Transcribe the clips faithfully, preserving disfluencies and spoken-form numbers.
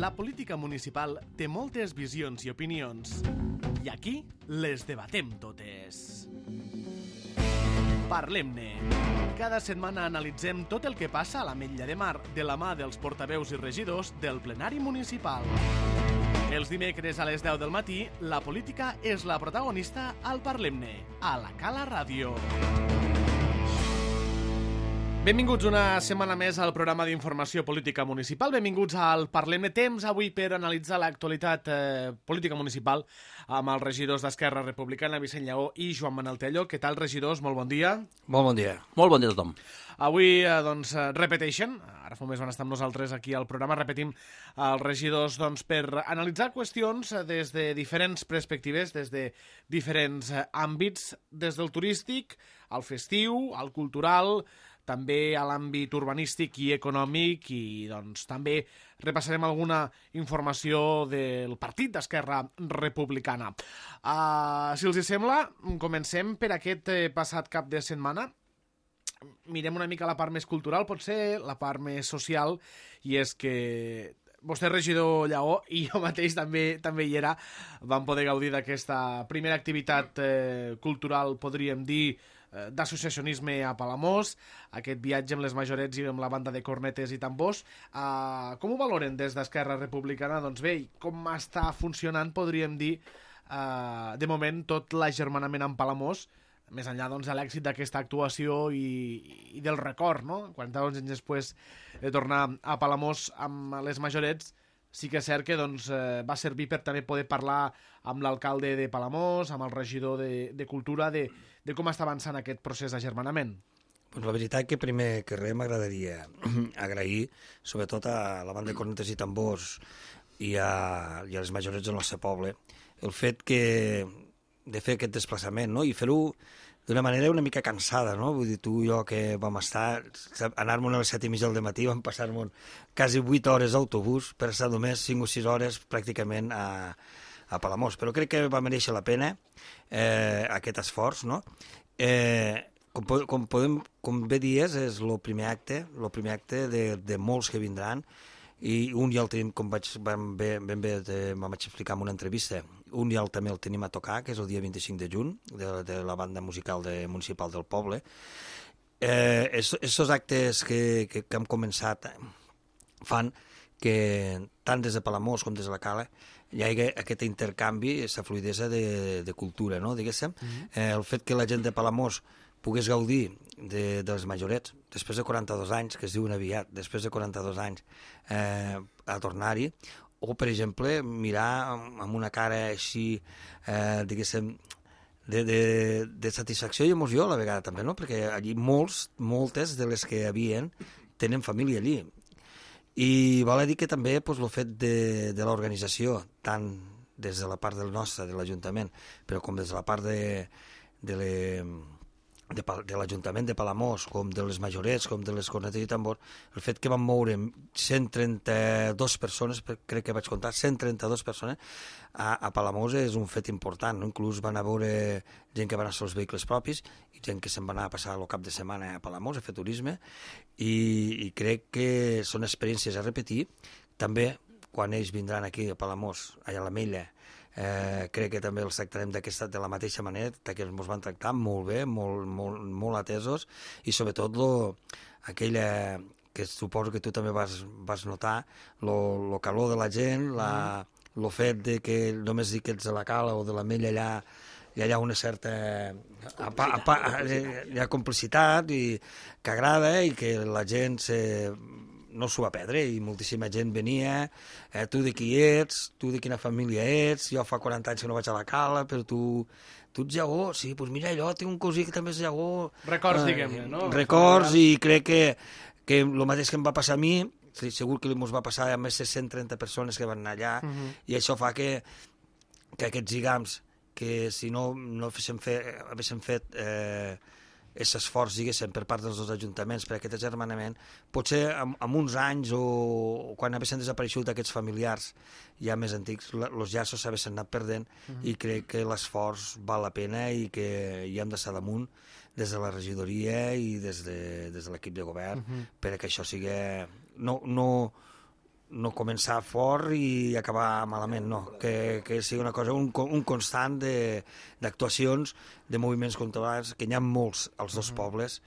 La política municipal té moltes visions i opinions. I aquí les debatem totes. Parlem-ne. Cada setmana analitzem tot el que passa a l'Ametlla de Mar de la mà dels portaveus i regidors del plenari municipal. Els dimecres a les deu del matí, la política és la protagonista al Parlem-ne, a la Cala Ràdio. Benvinguts una setmana més al programa d'informació política municipal. Benvinguts al Parlem-ne. Temps avui per analitzar l'actualitat eh, política municipal amb els regidors d'Esquerra Republicana, Vicent Lleó i Joan Manel Tello. Què tal, regidors? Molt bon dia. Molt bon dia. Molt bon dia a tothom. Avui, eh, doncs, repeteixen. Ara fa un mes van estar amb nosaltres aquí al programa. Repetim els regidors, doncs, per analitzar qüestions des de diferents perspectives, des de diferents àmbits, des del turístic, al festiu, al cultural, també a l'àmbit urbanístic i econòmic, i doncs també repassarem alguna informació del partit d'Esquerra Republicana. Uh, si els hi sembla, comencem per aquest eh, passat cap de setmana. Mirem una mica la part més cultural, potser la part més social, i és que vostè, regidor Lleó, i jo mateix també també hi era, vam poder gaudir d'aquesta primera activitat eh, cultural, podríem dir, d'associacionisme a Palamós, aquest viatge amb les majorets i amb la banda de cornetes i tambors. Uh, com ho valoren des d'Esquerra Republicana? Doncs bé, com està funcionant, podríem dir, uh, de moment, tot l'agermanament amb Palamós, més enllà doncs, de l'èxit d'aquesta actuació i, i del record, no? quaranta anys després de tornar a Palamós amb les majorets, sí que és cert que doncs, eh, va servir per també poder parlar amb l'alcalde de Palamós, amb el regidor de, de Cultura, de, de com està avançant aquest procés d'agermanament. Pues la veritat que primer que res m'agradaria agrair, sobretot a la banda de cornetes i tambors i a, i a les majorets del nostre poble, el fet que de fer aquest desplaçament, no? I fer-ho d'una manera una mica cansada, no? Vull dir, tu i jo que vam estar, anar-me'n a les set i mitja del matí, vam passar-me'n quasi vuit hores d'autobús per estar només cinc o sis hores pràcticament a, a Palamós. Però crec que va mereixer la pena eh, aquest esforç, no? Eh, com, com, podem, com bé dies, és el primer acte, el primer acte de, de molts que vindran, i un ja el tenim, com vaig, ben bé, ben bé de, me'n vaig explicar en una entrevista, un ja el, també el tenim a tocar, que és el dia vint-i-cinc de juny, de, de la banda musical de, municipal del poble. Eh, Estos actes que, que, que hem començat fan que tant des de Palamós com des de la Cala hi hagi aquest intercanvi, aquesta fluidesa de, de cultura, no? Diguéssim. Mm-hmm. eh, el fet que la gent de Palamós pogués gaudir de, de les majorets, després de quaranta-dos anys, que es diuen aviat, després de quaranta-dos anys, eh, a tornar-hi, o, per exemple, mirar amb una cara així, eh, diguéssim, de, de, de satisfacció i emoció a la vegada també, no? Perquè allí molts, moltes de les que hi havien tenen família allí. I val a dir que també pues, el fet de, de l'organització, tant des de la part del nostre, de l'Ajuntament, però com des de la part de, de le, de, de l'Ajuntament de Palamós, com de les majorets, com de les cornetes i tambors, el fet que van moure cent trenta-dues persones, crec que vaig comptar, cent trenta-dues persones a, a Palamós és un fet important, no? Inclús van a veure gent que van a ser els vehicles propis i gent que se'n va anar a passar el cap de setmana a Palamós a fer turisme, i, i crec que són experiències a repetir. També quan ells vindran aquí a Palamós, allà a l'Ametlla, Eh, crec que també els tractarem d'aquesta de la mateixa manera, que ens van tractar molt bé, molt, molt, molt atesos, i sobretot lo, aquella que suposo que tu també vas, vas notar, lo, lo calor de la gent, la, lo fet de que només dic que ets de la Cala o de l'Ametlla allà, hi ha una certa apa, apa, hi ha complicitat i que agrada i que la gent se no s'ho va perdre, i moltíssima gent venia, eh, tu de qui ets, tu de quina família ets, jo fa quaranta anys que no vaig a la Cala, però tu, tu ets Lleó, sí, doncs mira allò, tinc un cosí que també és Lleó. Records, eh, diguem-ne, no? Records, i crec que, que el mateix que em va passar a mi, segur que ens va passar a més de cent trenta persones que van anar allà, uh-huh. I això fa que, que aquests lligams, que si no, no haguéssim fet, haguéssim fet eh, aquest esforç, diguéssim, per part dels dos ajuntaments per aquest agermanament, potser amb, amb uns anys o, o quan haguessin desapareixut aquests familiars ja més antics, els llaços s'haguessin anat perdent, uh-huh. I crec que l'esforç val la pena i que hi hem d'estar damunt des de la regidoria i des de, des de l'equip de govern, uh-huh. Per que això sigui no, no, no començar fort i acabar malament, no. Que, que sigui una cosa, un, un constant d'actuacions, de, de moviments culturals, que n'hi ha molts als dos pobles,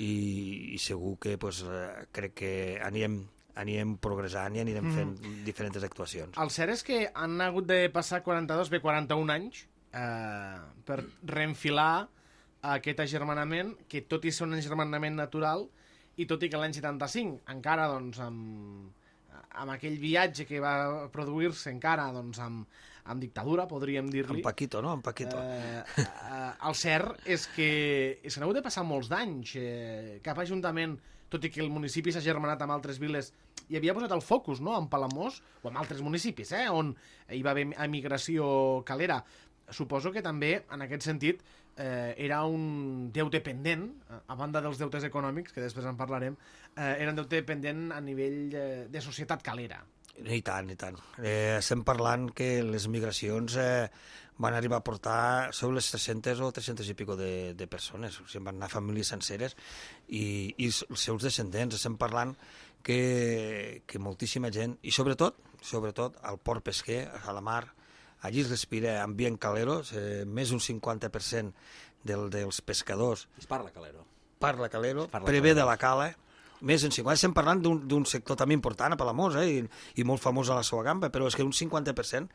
i, i segur que pues, crec que anirem anirem progressant i anirem fent mm. diferents actuacions. El cert és que han hagut de passar quaranta-dos, bé, quaranta-un anys eh, per reenfilar aquest agermanament, que tot i ser un agermanament natural, i tot i que l'any setanta-cinc encara, doncs, amb, amb aquell viatge que va produir-se encara, doncs, amb, amb dictadura, podríem dir-li. En Paquito, no? En Paquito. Eh, eh, el cert és que s'han hagut de passar molts d'anys. Eh, cap ajuntament, tot i que el municipi s'ha germanat amb altres viles, hi havia posat el focus, no?, en Palamós, o en altres municipis, eh?, on hi va haver emigració calera. Suposo que també, en aquest sentit, eh, era un deute pendent, a banda dels deutes econòmics, que després en parlarem, eh, era un deute pendent a nivell eh, de societat calera. I tant, i tant. Eh, estem parlant que les migracions eh, van arribar a portar sobre les tres-centes o tres-centes i pico de, de persones. O sigui, van anar famílies senceres i, i els seus descendents. Estem parlant que, que moltíssima gent, i sobretot, sobretot al port pesquer, a la mar, allí es respira ambient calero, eh, més d'un cinquanta per cent del, dels pescadors... Es parla calero. Parla calero, parla prevé calero. de la cala, més d'un cinquanta per cent. Estem parlant d'un sector també important a Palamós, eh, i, i molt famós a la seva gamba, però és que un cinquanta per cent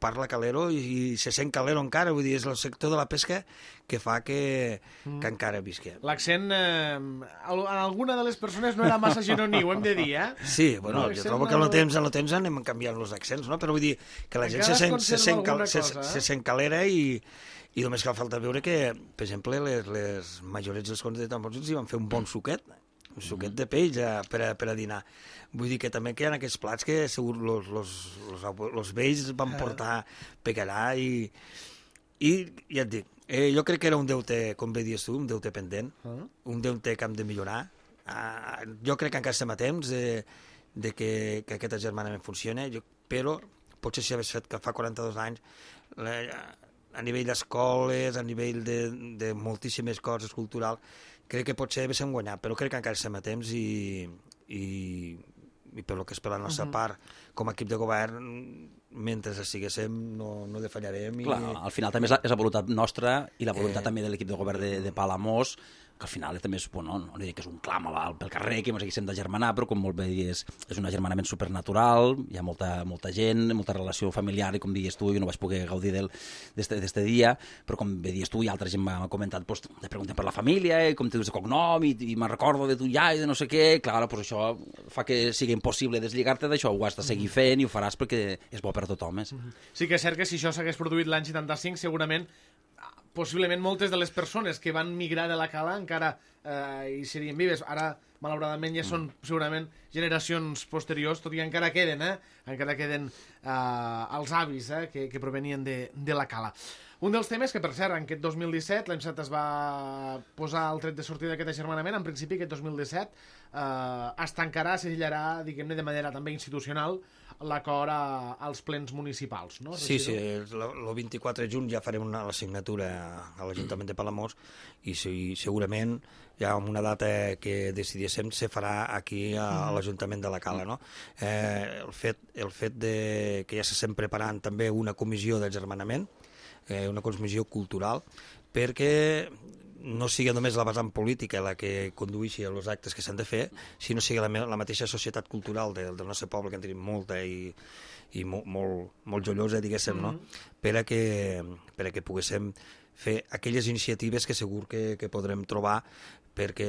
parla calero i, i se sent calero encara, vull dir, és el sector de la pesca que fa que, mm. que encara visqui. L'accent, eh, en alguna de les persones no era massa gironí, ho hem de dir, eh? Sí, bueno, no, jo trobo que en el temps, en el temps anem canviant els accents, no? Però vull dir que la gent se sent, se, sent cal, cosa, se, eh? se sent calera i, i només cal falta veure que, per exemple, les, les majorets dels contes de tambors hi van fer un bon suquet, un suquet de peix a, per, a, per a dinar. Vull dir que també que hi ha aquests plats que segur los, los, los, los vells van portar pecarà i, i ja et dic, eh, jo crec que era un deute, com bé dius tu, un deute pendent, uh -huh. un deute que hem de millorar. Uh, jo crec que encara estem a temps de, de que, que aquest agermanament funcioni, jo, però potser si hagués fet que fa quaranta-dos anys la, a nivell d'escoles, a nivell de, de moltíssimes coses culturals, crec que potser haguéssim guanyat, però crec que encara estem a temps i, i, i per lo que és per la nostra uh-huh. part, com a equip de govern, mentre estiguéssim no, no defallarem. Clar, I... al final també és la, és la voluntat nostra i la voluntat eh... també de l'equip de govern de, de Palamós, que al final també és, bueno, no dic que és un clam pel carrer, que ens haguéssim de germanar, però com molt bé dius, és un agermanament supernatural, hi ha molta, molta gent, molta relació familiar, i com dius tu, jo no vaig poder gaudir d'aquest dia, però com bé dius tu, i altra gent m'ha comentat, pues, te preguntem per la família, i com te dius de cognom, i, i me'n recordo de tu ja, i de no sé què, clar, pues això fa que sigui impossible deslligar-te d'això, ho has de seguir fent i ho faràs perquè és bo per a tothom. Eh? Sí que és cert que si això s'hagués produït l'any setanta-cinc, segurament possiblement moltes de les persones que van migrar de la cala encara eh, hi serien vives. Ara, malauradament, ja són segurament generacions posteriors, tot i que encara queden, eh? Encara queden eh, els avis eh? que, que provenien de, de la cala. Un dels temes que, per cert, en aquest dos mil disset l'E M S A T es va posar el tret de sortida d'aquest agermanament. En principi, aquest dos mil disset eh, es tancarà, s'agellarà, diguem-ne, de manera també institucional, l'acord als plens municipals, no? Sí, sí, el vint-i-quatre de juny ja farem una, la signatura a l'Ajuntament de Palamós i sí, segurament ja amb una data que decidíssim se farà aquí a, a l'Ajuntament de la Cala, no? Eh, el fet, el fet de que ja s'estem preparant també una comissió d'agermanament, eh, una comissió cultural, perquè no sigui només la vessant política la que condueixi els actes que s'han de fer, sinó sigui la, la mateixa societat cultural del, del nostre poble, que en tenim molta i, i molt, molt, molt jollosa, diguéssim, mm-hmm. no? per, a que, per a que poguéssim fer aquelles iniciatives que segur que, que podrem trobar, perquè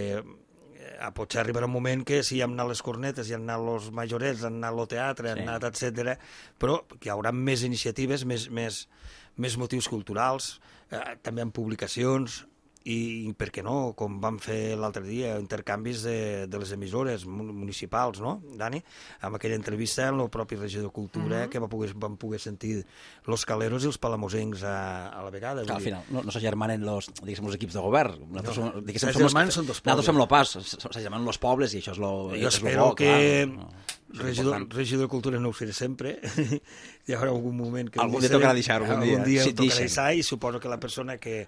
a potser arribarà un moment que si hi han anat les cornetes, hi han anat els majorets, han anat el teatre, sí. han anat, etcètera, però que hi haurà més iniciatives, més, més, més motius culturals, eh, també en publicacions, i per què no, com vam fer l'altre dia, intercanvis de, de les emissores municipals, no, Dani? Amb aquella entrevista amb el propi regidor de Cultura, mm-hmm. que va poder, vam poder sentir los caleros i els palamosencs a, a la vegada. Clar, al final, no, no s'agermanen los, diguéssim, els equips de govern. Nosaltres no. som, diguéssim, som, els, són dos pobles. Nosaltres som lo pas, s'agermanen los pobles i això és lo, jo és espero lo bo, que clar, no, regidor, regidor de Cultura no ho seré sempre. Hi haurà algun moment que... Algun dia tocarà deixar, algun dia. Algun dia si tocarà deixar i suposo que la persona que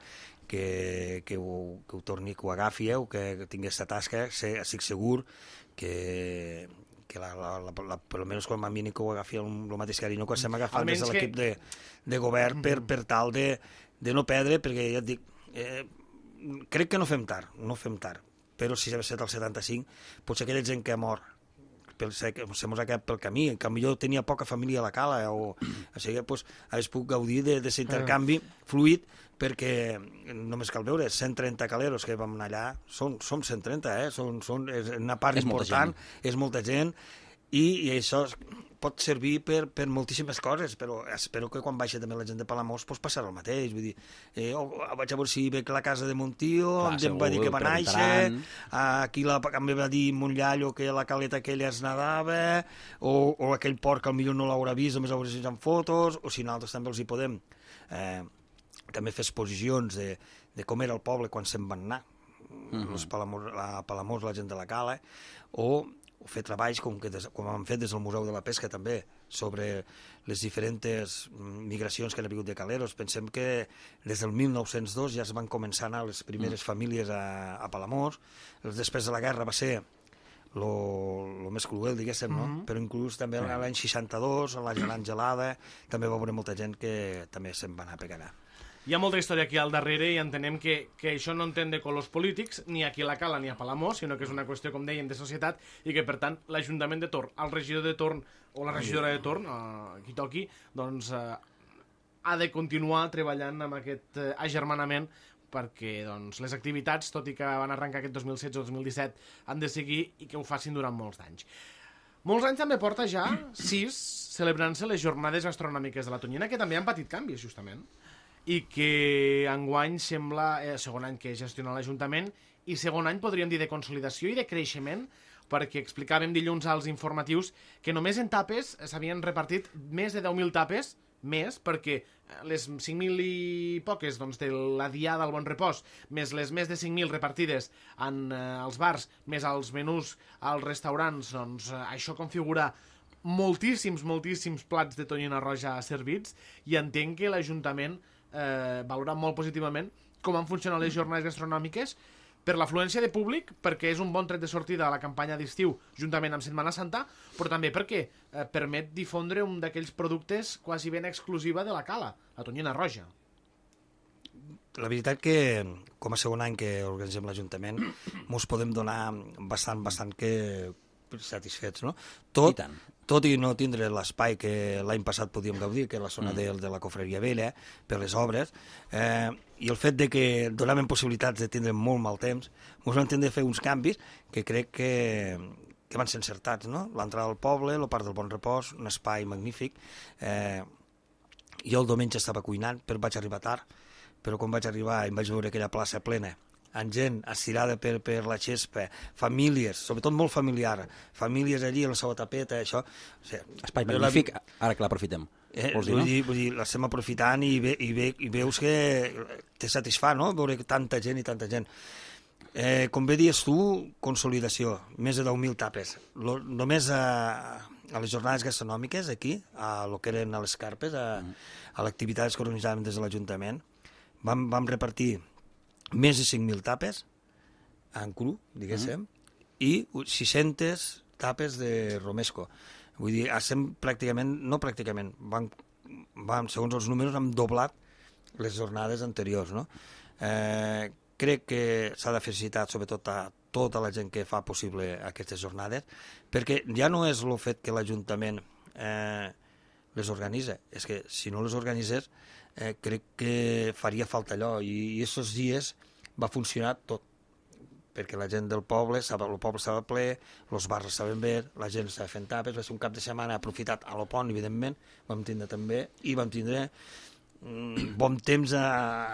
que, que, ho, que ho torni, que ho agafi, o que tingui aquesta tasca, sé, estic segur que, que que la, la, la, la, per almenys com a mi que ho agafi el, el mateix carinyo que estem agafant Almenys des de l'equip que... de, de govern per, per tal de, de no perdre, perquè ja et dic, eh, crec que no fem tard, no fem tard, però si s'ha estat el setanta-cinc, potser aquella gent que ha mort, se mos ha quedat pel camí, que potser tenia poca família a la cala, o, o sigui, pues, hagués pogut gaudir d'aquest intercanvi fluid, perquè només cal veure, cent trenta caleros que vam anar allà, són, som cent trenta, eh? Són, són, és una part és important, molta és molta gent, i, i això pot servir per, per moltíssimes coses, però espero que quan baixa també la gent de Palamós pues, passarà el mateix, vull dir, eh, oh, vaig a veure si veig la casa de mon tio, Clar, em va dir que va néixer, aquí la, em va dir mon iaiò que la caleta aquella es nadava, o, o aquell porc al millor no l'haurà vist, només haurà vist en fotos, o si nosaltres també els hi podem eh, també fer exposicions de, de com era el poble quan se'n van anar, uh-huh. Los Palamós, la Palamós, la gent de la cala, o o fer treballs com, que des, com hem fet des del Museu de la Pesca també, sobre les diferents migracions que han hagut de caleros. Pensem que des del mil nou-cents dos ja es van començar a anar les primeres mm. famílies a, a Palamós. Després de la guerra va ser lo, lo més cruel, diguéssim, no? Mm-hmm. Però inclús també mm. l'any seixanta-dos, a la gelant gelada, també va haver molta gent que també se'n va anar a pegar. Hi ha molta història aquí al darrere i entenem que, que això no entén de colors polítics, ni aquí a la Cala ni a Palamós, sinó que és una qüestió, com dèiem, de societat, i que, per tant, l'Ajuntament de Torn, el regidor de Torn o la regidora de Torn, eh, qui toqui, doncs eh, ha de continuar treballant amb aquest eh, agermanament perquè doncs, les activitats, tot i que van arrencar aquest dos mil setze o dos mil disset, han de seguir i que ho facin durant molts anys. Molts anys també porta ja sis celebrant-se les jornades gastronòmiques de la Tonyina, que també han patit canvis, justament, i que enguany sembla eh, segon any que gestiona l'Ajuntament i segon any podríem dir de consolidació i de creixement, perquè explicàvem dilluns als informatius que només en tapes s'havien repartit més de deu mil tapes, més, perquè les cinc mil i poques doncs, de la Diada al Bon Repòs, més les més de cinc mil repartides en eh, els bars, més els menús als restaurants, doncs eh, això configura moltíssims, moltíssims plats de tonyina roja servits, i entenc que l'Ajuntament eh, valora molt positivament com han funcionat les jornades gastronòmiques per l'afluència de públic, perquè és un bon tret de sortida a la campanya d'estiu juntament amb Setmana Santa, però també perquè eh, permet difondre un d'aquells productes quasi ben exclusiva de la Cala, la tonyina roja. La veritat que, com a segon any que organitzem l'Ajuntament, mos podem donar bastant, bastant que satisfets, no? Tot, tot i no tindre l'espai que l'any passat podíem gaudir, que és la zona mm. de, de la Cofreria Vella, per les obres, eh, i el fet de que donaven possibilitats de tindre molt mal temps, ens vam tindre de fer uns canvis que crec que, que van ser encertats, no? L'entrada al poble, el Parc del Bon Repòs, un espai magnífic. Eh, jo el diumenge estava cuinant, però vaig arribar tard, però quan vaig arribar em vaig veure aquella plaça plena, amb gent estirada per, per la xespa, famílies, sobretot molt familiar, famílies allí, la seva tapeta, això... O sigui, espai magnífic, la... ara que l'aprofitem. Eh, dir, vull, no? dir, vull dir, l'estem aprofitant i, ve, i, ve, i veus que te satisfà, no?, veure tanta gent i tanta gent. Eh, com bé dius tu, consolidació, més de deu mil tapes. Lo, només a, a les jornades gastronòmiques, aquí, a lo que eren a les carpes, a, a l'activitat que organitzàvem des de l'Ajuntament, vam, vam repartir més de cinc mil tapes en cru, diguéssim, mm. i sis-centes tapes de romesco. Vull dir, estem pràcticament, no pràcticament, vam, vam, segons els números, hem doblat les jornades anteriors, no? Eh, crec que s'ha de felicitar sobretot a tota la gent que fa possible aquestes jornades, perquè ja no és el fet que l'Ajuntament eh, les organitza, és que si no les organitzés eh, crec que faria falta allò, i aquests dies va funcionar tot, perquè la gent del poble, el poble estava ple, els bars estaven bé, la gent estava fent tapes, va ser un cap de setmana aprofitat a lo pont, evidentment, vam tindre també, i vam tindre mm, bon temps a...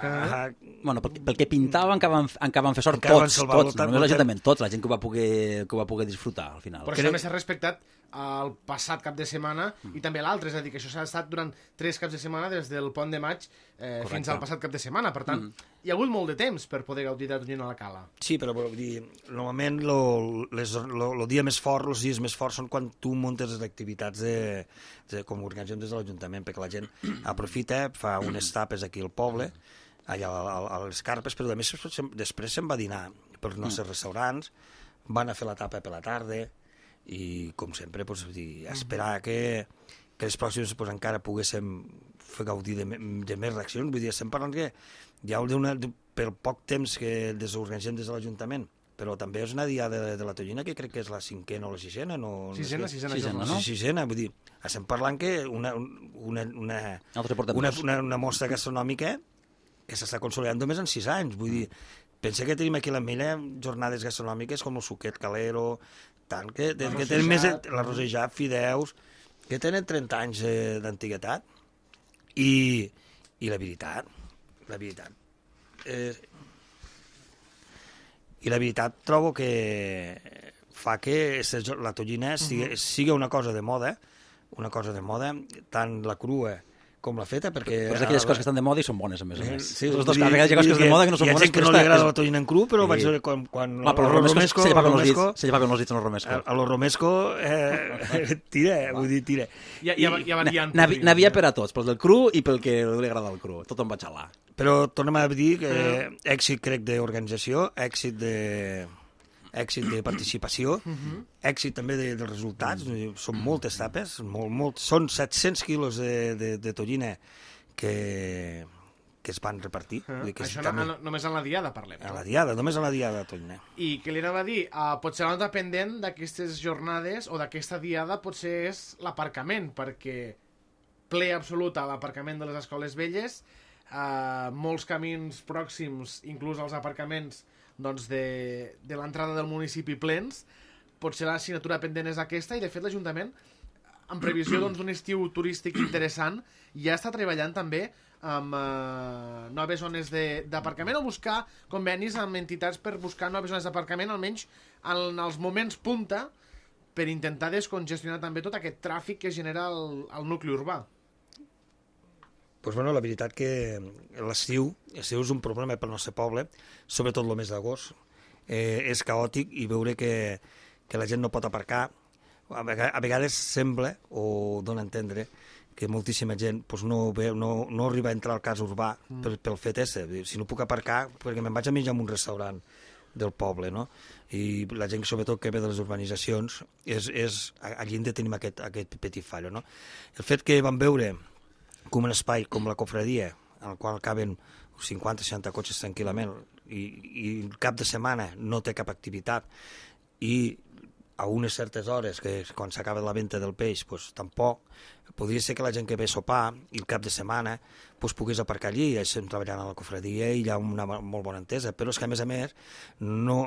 a... Bueno, pel, pel que pintaven encara van, encara van fer sort tots, tots, no només l'Ajuntament, tots, la gent que ho va poder, que ho va poder disfrutar al final. Però això també s'ha respectat el passat cap de setmana mm. i també l'altre, és a dir, que això s'ha estat durant tres caps de setmana des del pont de maig eh, fins al passat cap de setmana, per tant, mm. hi ha hagut molt de temps per poder gaudir de Tonyina a la Cala. Sí, però vull dir, normalment el dia més fort, els dies més forts són quan tu muntes les activitats de, de, com organitzem des de l'Ajuntament, perquè la gent aprofita, fa unes tapes aquí al poble, allà a, a, a les carpes, però a més després se'n va dinar pels nostres restaurants, van a fer la tapa per la tarda, i com sempre, pues, dir, esperar que, que les pròximes pues, encara poguéssim fer gaudir de, de més reaccions. Vull dir, estem parlant que hi ha una, pel poc temps que desorganitzem des de l'Ajuntament, però també és una diada de, de la Tonyina que crec que és la cinquena o la sisena. No, sisena, no sisena, sisena, no? no? Sisena, vull dir, estem parlant que una, una, una, Nosaltres portem una, dos. una, una mostra gastronòmica que s'està consolidant només en sis anys. Vull dir, pensa que tenim aquí a l'Ametlla jornades gastronòmiques com el suquet calero, tant, que, que, que tenen més la rosejat, fideus, que tenen trenta anys eh, d'antiguitat. I, I la veritat, la veritat, eh, i la veritat trobo que fa que la tonyina sigui, sigui una cosa de moda, una cosa de moda, tant la crua com la feta, perquè... Però és d'aquelles coses que estan de moda i són bones, a més a més. Sí, Les dues, a vegades hi ha coses que són de moda que no són bones, bones, hi ha gent que no li agrada la tonyina en cru, però sí. vaig veure quan... quan Va, però el romesco se llevaven els dits, se llevaven els dits en el romesco. A, a lo romesco eh, tira, vull dir, tira. Hi ha, hi ha, hi ha variant. N'havia per a tots, pel del cru i pel que li agrada el cru. Tot em va xalar. Però tornem a dir que èxit, crec, d'organització, èxit de... èxit de participació, uh-huh. èxit també de, de resultats, uh-huh. són moltes tapes, molt, molt, són set-cents quilos de, de, de tonyina que, que es van repartir. Uh, que això també, no, només en la diada parlem. A la diada, només a la diada de tonyina. I què li anava a dir? Uh, potser la nota pendent d'aquestes jornades o d'aquesta diada potser és l'aparcament, perquè ple absolut a l'aparcament de les escoles velles, uh, molts camins pròxims, inclús els aparcaments doncs de, de l'entrada del municipi plens, potser la assignatura pendent és aquesta, i de fet l'Ajuntament, en previsió doncs, d'un estiu turístic interessant, ja està treballant també amb eh, noves zones d'aparcament o buscar convenis amb entitats per buscar noves zones d'aparcament, almenys en els moments punta, per intentar descongestionar també tot aquest tràfic que genera el, el nucli urbà. Pues bueno, la veritat que l'estiu, l'estiu és un problema pel nostre poble, sobretot el mes d'agost. Eh, és caòtic i veure que, que la gent no pot aparcar. A vegades, a vegades sembla, o dona a entendre, que moltíssima gent pues, no, ve, no, no arriba a entrar al cas urbà mm. pel, pel fet ese. Si no puc aparcar, perquè me'n vaig a menjar en un restaurant del poble, no? I la gent, sobretot, que ve de les urbanitzacions, és, és, allí hem de tenir aquest, aquest petit fallo, no? El fet que vam veure com un espai com la cofradia, en el qual caben cinquanta seixanta cotxes tranquil·lament, i, i el cap de setmana no té cap activitat, i a unes certes hores, que quan s'acaba la venda del peix, pues, tampoc, podria ser que la gent que ve a sopar i el cap de setmana pues, pogués aparcar allí, i estem treballant a la cofradia i hi ha una molt bona entesa, però és que a més a més no,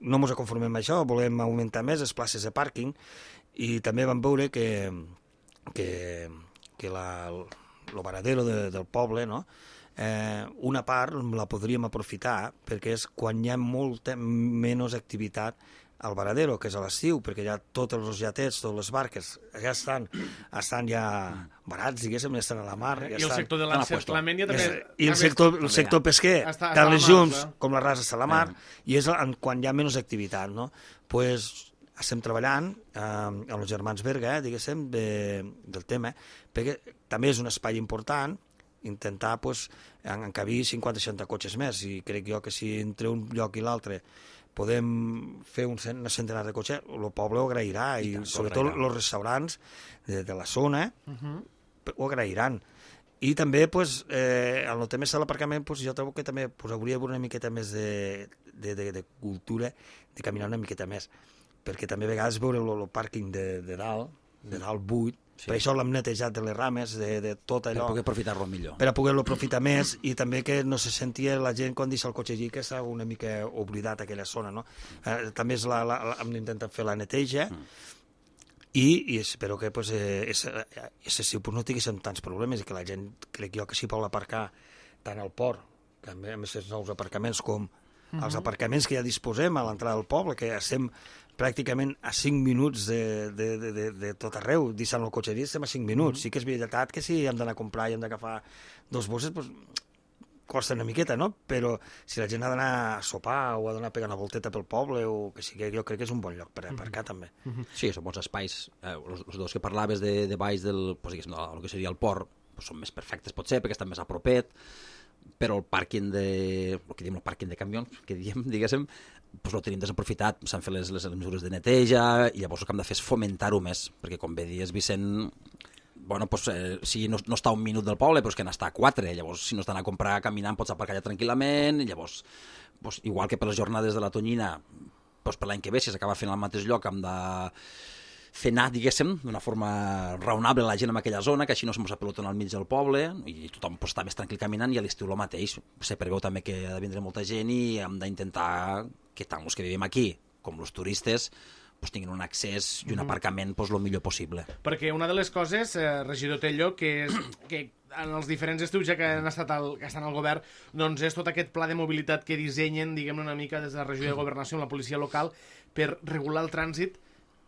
no ens conformem amb això, volem augmentar més les places de pàrquing, i també vam veure que, que que la, el varadero de, del poble, no? eh, una part la podríem aprofitar perquè és quan hi ha molta menys activitat al varadero, que és a l'estiu, perquè ja tots els jatets, totes les barques ja estan, estan ja barats, diguéssim, estan a la mar. Ja I el estan, sector de l'encerclament ja també... I el sector, el sector pesquer, està, tant està les mar, llums està. com la rasa està a la mar, eh. i és en, quan hi ha menys activitat, no? Pues, estem treballant eh, amb els germans Berga, eh, diguéssim, de, del tema, perquè també és un espai important intentar pues, encabir cinquanta seixanta cotxes més, i crec jo que si entre un lloc i l'altre podem fer un cent, una centenar de cotxes, el poble ho agrairà, i, i tant, sobretot els restaurants de, de la zona uh-huh. ho agrairan. I també, pues, eh, en el tema de l'aparcament, pues, jo trobo que també pues, hauria d'haver una miqueta més de, de, de, de cultura, de caminar una miqueta més, perquè també a vegades veure el, el pàrquing de, de dalt, de dalt buit, sí. Per això l'hem netejat de les rames, de, de tot allò. Per poder aprofitar-lo millor. Per a poder-lo aprofitar més, i també que no se sentia la gent quan deixa el cotxe allí, que està una mica oblidat aquella zona, no? Eh, també és la, la, la, hem intentat fer la neteja, mm. i, i espero que pues, eh, aquest estiu pues, no tinguéssim tants problemes, i que la gent, crec jo, que s'hi pot aparcar tant al port, que a més els nous aparcaments, com mm-hmm. els aparcaments que ja disposem a l'entrada del poble, que estem pràcticament a cinc minuts de, de, de, de, de tot arreu, deixant el cotxe allí, estem a cinc minuts. Mm-hmm. Sí que és veritat que si hem d'anar a comprar i hem d'agafar dos bosses, pues, costa una miqueta, no? Però si la gent ha d'anar a sopar o ha d'anar a pegar una volteta pel poble, o que sigui, jo crec que és un bon lloc per aparcar, mm-hmm. també. Mm-hmm. Sí, són bons espais. Eh, els, els dos que parlaves de, de baix del, pues, diguéssim, del que seria el port, pues, són més perfectes, potser, perquè estan més a propet. però el pàrquing de... el que diem el pàrquing de camions, que diem, diguéssim, doncs el tenim desaprofitat, s'han fet les, les mesures de neteja, i llavors el que hem de fer és fomentar-ho més, perquè com bé dius, Vicent, bueno, doncs, eh, si no, no està a un minut del poble, però és que n'està a quatre, llavors si no estan a comprar caminant pots aparcar allà tranquil·lament, i llavors, doncs, igual que per les jornades de la Tonyina, doncs per l'any que ve, si s'acaba fent al mateix lloc, hem de fer anar, diguéssim, d'una forma raonable la gent en aquella zona, que així no se'm apelotona al mig del poble, i tothom pot estar més tranquil caminant, i a l'estiu el mateix. Se preveu també que ha de vindre molta gent i hem d'intentar que tant els que vivim aquí com els turistes pues, tinguin un accés i un aparcament pues, el millor possible. Perquè una de les coses, eh, regidor Tello, que és que en els diferents estius ja que han estat al, que estan al govern, doncs és tot aquest pla de mobilitat que dissenyen, diguem-ne una mica des de la regió de governació amb la policia local per regular el trànsit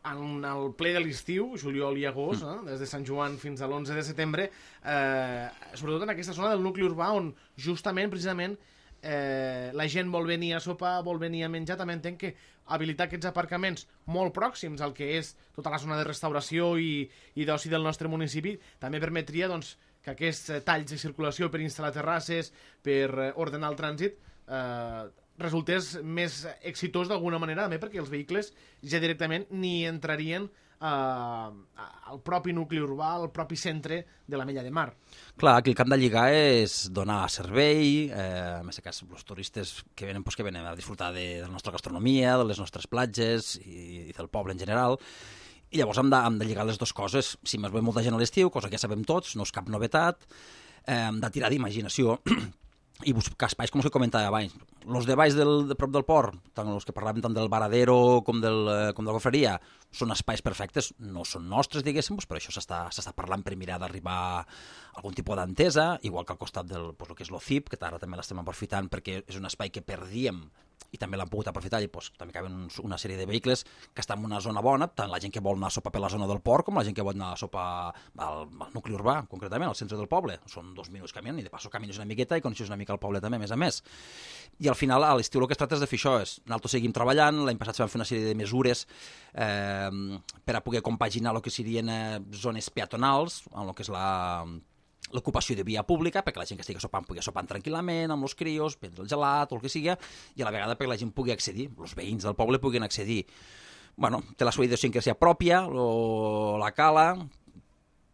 en el ple de l'estiu, juliol i agost, eh, des de Sant Joan fins a l'onze de setembre, eh, sobretot en aquesta zona del nucli urbà on justament, precisament, eh, la gent vol venir a sopar, vol venir a menjar, també entenc que habilitar aquests aparcaments molt pròxims al que és tota la zona de restauració i, i d'oci del nostre municipi també permetria doncs, que aquests talls de circulació per instal·lar terrasses, per ordenar el trànsit, eh, resultés més exitós d'alguna manera, també perquè els vehicles ja directament ni entrarien eh, al propi nucli urbà, al propi centre de la Mella de Mar. Clar, aquí el que hem de lligar és donar servei, eh, en aquest cas, els turistes que venen, pues, que venen a disfrutar de, de la nostra gastronomia, de les nostres platges i, i del poble en general, i llavors hem de, hem de lligar les dues coses. Si més ve molta gent a l'estiu, cosa que ja sabem tots, no és cap novetat, eh, hem de tirar d'imaginació i buscar espais, com us comentava abans. Els de baix del, de prop del port, tant els que parlàvem tant del Varadero com, del, com de la Gofreria, són espais perfectes, no són nostres, diguéssim, però això s'està parlant per mirar d'arribar a algun tipus d'entesa, igual que al costat del pues, el que és l'O C I P, que ara també l'estem aprofitant perquè és un espai que perdíem i també l'han pogut aprofitar i pues, també caben una sèrie de vehicles que estan en una zona bona, tant la gent que vol anar a sopar per la zona del port com la gent que vol anar a sopar al, al nucli urbà, concretament, al centre del poble. Són dos minuts caminant i de passo camines una miqueta i coneixes una mica el poble també, a més a més. I al final, a l'estiu el que es tracta és de fer això. És, nosaltres seguim treballant, l'any passat vam fer una sèrie de mesures eh, per a poder compaginar el que serien eh, zones peatonals, en el que és la... l'ocupació de via pública, perquè la gent que estigui sopant pugui sopant tranquil·lament, amb els crios, prendre el gelat o el que sigui, i a la vegada perquè la gent pugui accedir, els veïns del poble puguin accedir. Bueno, té la seva idiosincràsia pròpia, o la cala,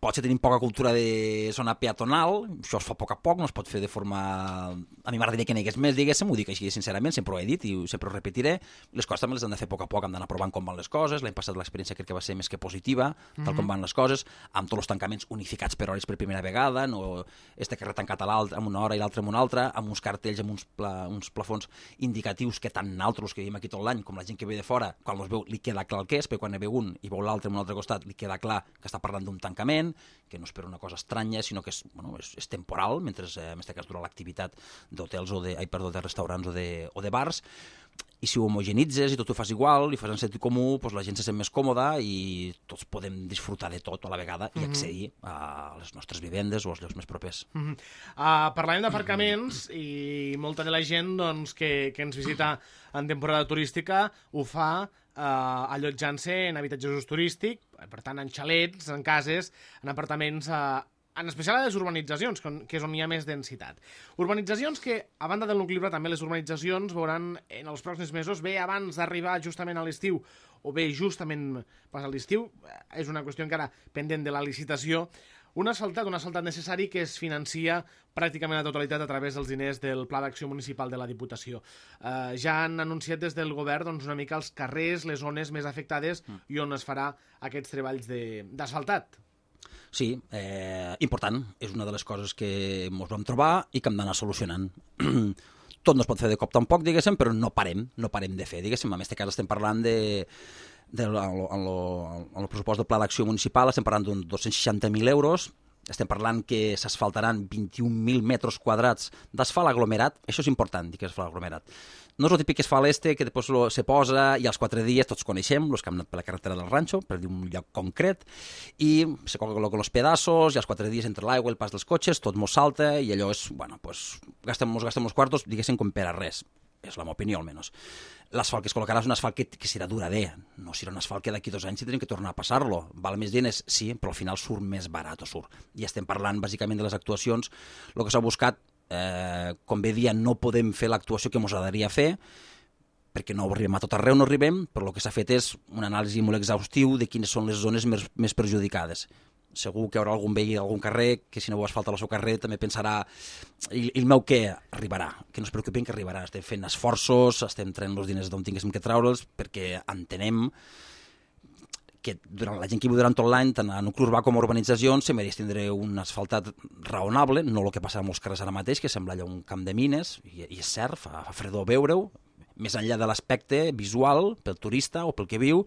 potser tenim poca cultura de zona peatonal, això es fa a poc a poc, no es pot fer de forma... A mi m'agradaria que n'hi hagués més, diguéssim, ho dic així sincerament, sempre ho he dit i sempre ho repetiré. Les coses també les hem de fer a poc a poc, hem d'anar provant com van les coses. L'any passat l'experiència crec que va ser més que positiva, tal mm-hmm. com van les coses, amb tots els tancaments unificats per hores per primera vegada, no este carrer tancat a l'altre amb una hora i l'altre amb una altra, amb uns cartells, amb uns, pla, uns plafons indicatius que tant nosaltres que vivim aquí tot l'any com la gent que ve de fora, quan els veu li queda clar el que és, perquè quan ne ve un i veu l'altre en un altre costat li queda clar que està parlant d'un tancament, que no és per una cosa estranya, sinó que és, bueno, és, és temporal, mentre eh, en aquest cas dura l'activitat d'hotels o de, ai, perdó, de restaurants o de, o de bars, i si ho homogenitzes i tot ho fas igual i fas en sentit comú, doncs la gent se sent més còmoda i tots podem disfrutar de tot a la vegada i accedir a les nostres vivendes o als llocs més propers. Mm-hmm. uh, Parlàvem d'aparcaments i molta de la gent doncs, que, que ens visita en temporada turística ho fa Uh, allotjant-se en habitatges turístics, per tant en xalets, en cases, en apartaments, uh, en especial a les urbanitzacions, que és on hi ha més densitat. Urbanitzacions que, a banda del nucli urbà, també les urbanitzacions veuran en els pròxims mesos, bé abans d'arribar justament a l'estiu, o bé justament pas a l'estiu, és una qüestió encara pendent de la licitació, un asfaltat, un asfaltat necessari que es financia pràcticament la totalitat a través dels diners del Pla d'Acció Municipal de la Diputació. Uh, ja han anunciat des del govern doncs, una mica els carrers, les zones més afectades mm. i on es farà aquests treballs d'asfaltat. Sí, eh, important. És una de les coses que ens vam trobar i que hem d'anar solucionant. Tot no es pot fer de cop tampoc, diguéssim, però no parem, no parem de fer, diguéssim. En aquest cas estem parlant de... De, en, lo, en, lo, en el pressupost del Pla d'Acció Municipal estem parlant d'uns dos-cents seixanta mil euros, estem parlant que s'asfaltaran vint-i-un mil metres quadrats d'asfalt aglomerat, això és important, dir que és asfalt aglomerat. No és el típic asfalt este que després lo, se posa i als quatre dies tots coneixem, els que han anat per la carretera del Ranxo, per dir un lloc concret, i se col·loquen els pedassos i als quatre dies entre l'aigua i el pas dels cotxes tot mos salta i allò és, bueno, pues, gastem, mos gastem els quartos, diguéssim, com per a res. És la meva opinió, almenys. L'asfalt que es col·locarà és un asfalt que, que serà durader, no serà un asfalt que d'aquí dos anys tindrem que tornar a passar-lo. Val més diners? Sí, però al final surt més barat o surt. I estem parlant bàsicament de les actuacions. El que s'ha buscat eh, com bé dia, no podem fer l'actuació que ens agradaria fer, perquè no arribem a tot arreu, no arribem, però el que s'ha fet és una anàlisi molt exhaustiu de quines són les zones més, més perjudicades. Segur que hi haurà algun veí d'algun carrer que si no ho asfalta al seu carrer també pensarà i, i el meu què arribarà, que no es preocupin que arribarà, estem fent esforços, estem traient els diners d'on tinguéssim que treure'ls perquè entenem que durant, la gent que viu durant tot l'any, tant a nucli urbà com a urbanitzacions, se mereix tindre un asfaltat raonable, no el que passa a molts carrers ara mateix, que sembla allà un camp de mines, i, i és cert, fa, fa fredor veure-ho, més enllà de l'aspecte visual, pel turista o pel que viu,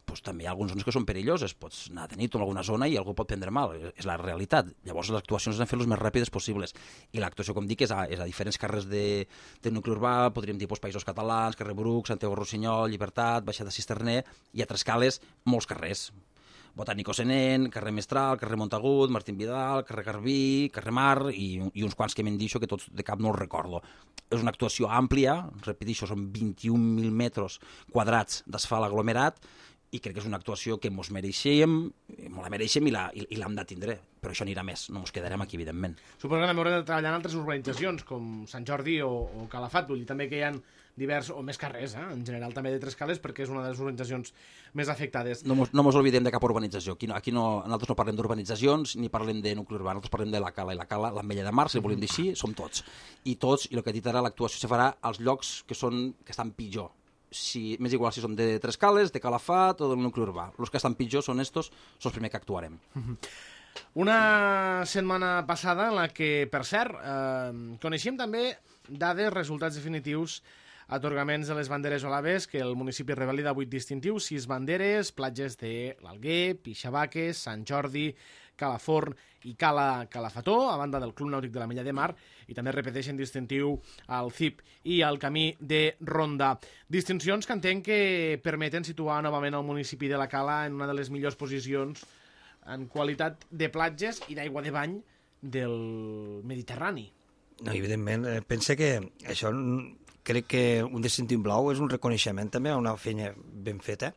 doncs també hi ha algunes zones que són perilloses. Pots anar de nit en alguna zona i algú pot prendre mal. És la realitat. Llavors les actuacions han de fer les més ràpides possibles. I l'actuació, com dic, és a, és a diferents carrers de, de nucli urbà, podríem dir doncs, Països Catalans, carrer Bruc, Santiago Rossinyol, Llibertat, Baixada Cisterner, i a Trescales molts carrers. Botànico Senent, carrer Mestral, carrer Montagut, Martín Vidal, carrer Garbí, carrer Mar i, i uns quants que m'han dit que tots de cap no els recordo. És una actuació àmplia, repeteixo, són vint-i-un mil metres quadrats d'asfalt aglomerat i crec que és una actuació que ens mereixem, ens la mereixem i l'hem de tindre, però això anirà més, no ens quedarem aquí, evidentment. Suposo que també haurem de treballar en altres urbanitzacions, com Sant Jordi o, o Calafat, vull dir també que hi ha divers, o més carrers, eh? En general també de Trescales, perquè és una de les urbanitzacions més afectades. No mos, no mos oblidem de cap urbanització. Aquí, no, aquí no, nosaltres no parlem d'urbanitzacions ni parlem de nucli urbà, nosaltres parlem de la Cala, i la Cala, l'Ametlla de Mar, si volem dir així, som tots. I tots, i el que he dit ara, l'actuació se farà als llocs que, són, que estan pitjor. Si, m'és igual si són de Trescales, de Calafat o del nucli urbà. Els que estan pitjor són estos, són els primers que actuarem. Una setmana passada en la que, per cert, eh, coneixíem també dades, resultats definitius, atorgaments de les banderes olaves, que el municipi revalida vuit distintius, sis banderes, platges de l'Alguer, Pixabaques, Sant Jordi, Calaforn i Cala Calafató, a banda del Club Nàutic de l'Ametlla de Mar, i també repeteixen distintiu al C I P i al Camí de Ronda. Distincions que entenc que permeten situar novament el municipi de la Cala en una de les millors posicions en qualitat de platges i d'aigua de bany del Mediterrani. No, evidentment, pensa que això crec que un distintiu blau és un reconeixement també a una feina ben feta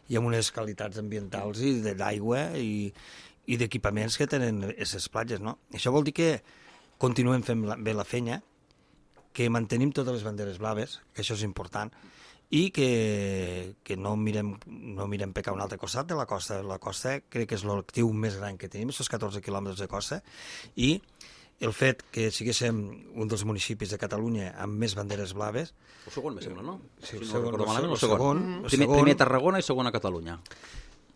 i amb unes qualitats ambientals i d'aigua i, i d'equipaments que tenen aquestes platges, no? Això vol dir que continuem fent la, bé la feina, que mantenim totes les banderes blaves, que això és important, i que, que no mirem, no mirem per cap un altre costat de la costa. La costa crec que és l'objectiu més gran que tenim, aquests catorze quilòmetres de costa, i el fet que siguéssim un dels municipis de Catalunya amb més banderes blaves... El segon, me sembla, no? Sí, el si segon, no el segon. El segon, el primer, segon, primer Tarragona i segon a Catalunya.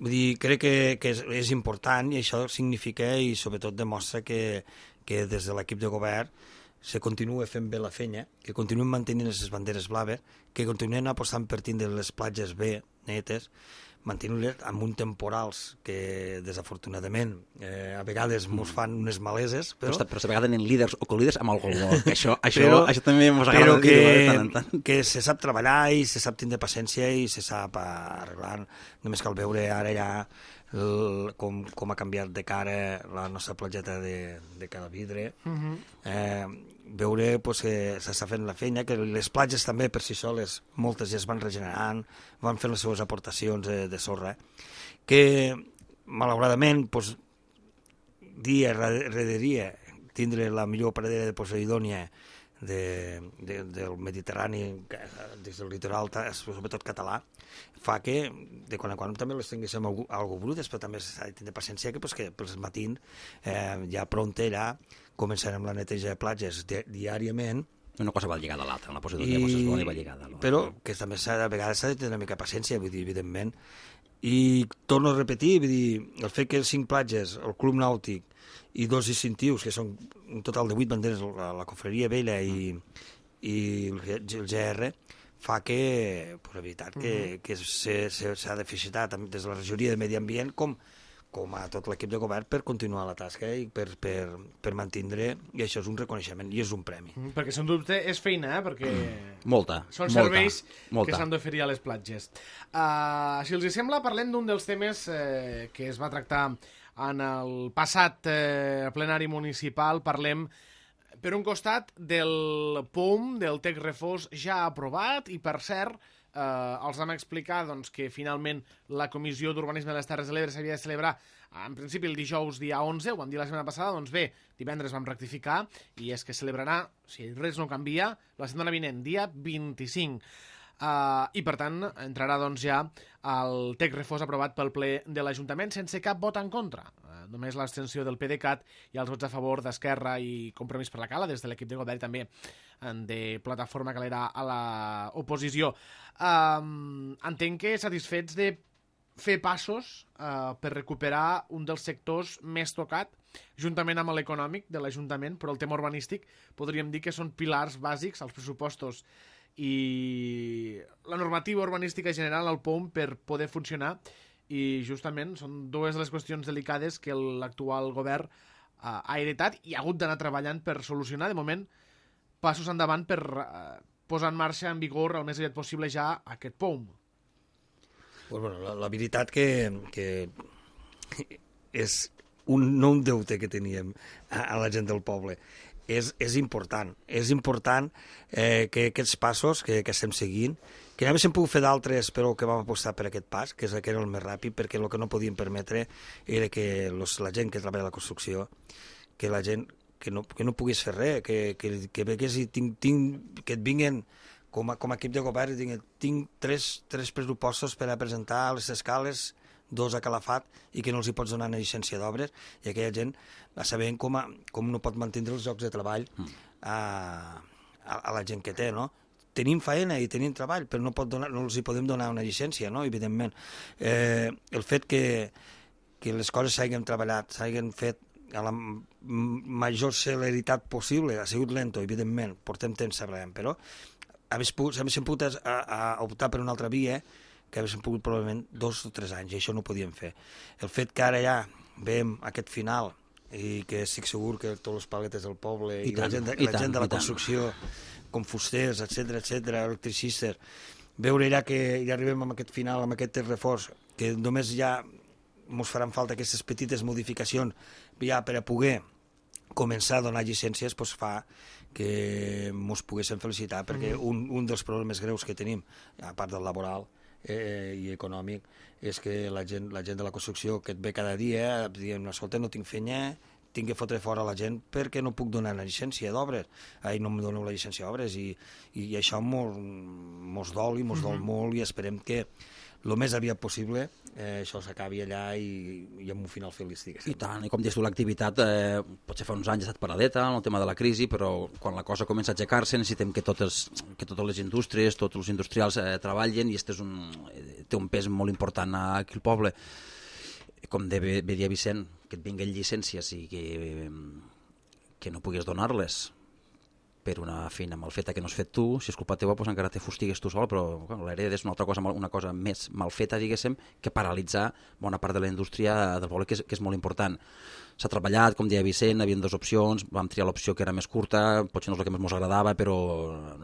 Vull dir, crec que, que és, és important i això significa i sobretot demostra que, que des de l'equip de govern se continua fent bé la feina, que continuem mantenint aquestes banderes blaves, que continuem apostant per tindre les platges bé, netes, mantenint-les amb uns temporals que desafortunadament eh, a vegades ens fan unes maleses, però... Però, però a vegades tenen líders o co-líders amb el goló, que això, això, però, això també ens agrada que, dir-ho de tant en tant. Que se sap treballar i se sap tindre paciència i se sap arreglar. Només cal veure ara ja el, com, com ha canviat de cara la nostra platgeta de, de Calavidre. Uh -huh. eh, veure pues, que s'està fent la feina, que les platges també per si soles, moltes ja es van regenerant, van fent les seves aportacions de, de sorra, que malauradament pues, dia rere dia tindre la millor pradera de Poseidònia de, de, del Mediterrani des del litoral, sobretot català, fa que de quan en quan també les tinguéssim algo, algo brutes, però també s'ha de tenir paciència que, pues, que pels matins eh, ja pronta ja començarem la neteja de platges di diàriament. Una cosa va lligada a l'altra, la Posidònia I... va lligada a l'altra. Però que també a vegades s'ha de tenir una mica paciència, vull dir, evidentment. I torno a repetir, vull dir, el fet que cinc platges, el Club Nàutic i dos distintius, que són un total de vuit banderes, la, la Confraria Vella i, i el G R, fa que, per veritat, que, que s'ha de felicitar des de la regidoria de Medi Ambient com com a tot l'equip de govern per continuar la tasca i per, per, per mantindre, i això és un reconeixement i és un premi. Mm, perquè, sense dubte, és feina, eh? Perquè molta, són molta, serveis molta. que s'han d'oferir a les platges. Uh, si els hi sembla, parlem d'un dels temes eh, que es va tractar en el passat eh, plenari municipal. Parlem, per un costat, del P O M, del Tec Refós, ja aprovat, i, per cert, Eh, els vam explicar doncs, que finalment la Comissió d'Urbanisme de les Terres de l'Ebre s'havia de celebrar en principi el dijous dia onze, ho vam dir la setmana passada, doncs bé, divendres vam rectificar, i és que celebrarà, si res no canvia, la setmana vinent, dia vint-i-cinc. Uh, I, per tant, entrarà doncs, ja el text refós aprovat pel ple de l'Ajuntament sense cap vot en contra. Uh, només l'abstenció del PDeCAT i els vots a favor d'Esquerra i Compromís per la Cala, des de l'equip de govern també de Plataforma Calera a l'oposició. Uh, entenc que satisfets de fer passos uh, per recuperar un dels sectors més tocat, juntament amb l'econòmic de l'Ajuntament, però el tema urbanístic podríem dir que són pilars bàsics als pressupostos i la normativa urbanística general al P O M per poder funcionar, i justament són dues de les qüestions delicades que l'actual govern uh, ha heretat i ha hagut d'anar treballant per solucionar. De moment, passos endavant per uh, posar en marxa en vigor el més aviat possible ja aquest P O M. Pues bueno, la, la veritat que, que és un, no un deute que teníem a, a la gent del poble. És, és important, és important eh, que aquests passos que, que estem seguint, que ja haguéssim pogut fer d'altres, però que vam apostar per aquest pas, que, és, que era el més ràpid, perquè el que no podíem permetre era que los, la gent que treballa a la construcció, que la gent que no, que no pogués fer res, que, que, que, vegués i tinc, tinc, que et vinguin com a, com a equip de govern, tinc, tinc tres, tres pressupostos per a presentar a les escales, dos a Calafat, i que no els hi pots donar una llicència d'obres, i aquella gent va sabent com, a, com no pot mantenir els llocs de treball a, a, a la gent que té, no? Tenim feina i tenim treball, però no, pot donar, no els hi podem donar una llicència, no? Evidentment. Eh, el fet que, que les coses s'hagin treballat, s'hagin fet a la major celeritat possible, ha sigut lento, evidentment, portem temps treballant, però s'haguéssim pogut a, a optar per una altra via, que haguéssim pogut probablement dos o tres anys, i això no ho podíem fer. El fet que ara ja veiem aquest final, i que estic segur que tots els paletes del poble i, I, tant, la, gent de, i la tant, gent de la construcció, com fusters, etcètera, etcètera, electricistes, veure ja que ja arribem amb aquest final, amb aquest reforç, que només ja ens faran falta aquestes petites modificacions ja per a poder començar a donar llicències, doncs fa que ens poguéssim felicitar, perquè mm. un, un dels problemes greus que tenim, a part del laboral, Eh, i econòmic, és que la gent, la gent de la construcció que et ve cada dia dient, escolta, no tinc feina, tinc que fotre fora la gent perquè no puc donar la llicència d'obres, ai, no em doneu la llicència d'obres, i, i això mos, mos dol i mos dol mm-hmm. molt, i esperem que el més aviat possible eh, això s'acabi allà i, i amb un final feliç, diguéssim. I tant, i com dius tu, l'activitat eh, potser fa uns anys ha estat paradeta en el tema de la crisi, però quan la cosa comença a aixecar-se necessitem que totes, que totes les indústries, tots els industrials eh, treballen, i este és un, eh, té un pes molt important aquí al poble. Com de, bé dia Vicent, que et vinguin llicències i que, que no puguis donar-les per una feina mal feta que no has fet tu, si és culpa teva, doncs encara te fustigues tu sol, però bueno, l'hereda és una altra cosa, una cosa més mal feta, diguéssim, que paralitzar bona part de la indústria del poble, que és, que és molt important. S'ha treballat, com deia Vicent, hi havia dues opcions, vam triar l'opció que era més curta, potser no és el que més ens agradava, però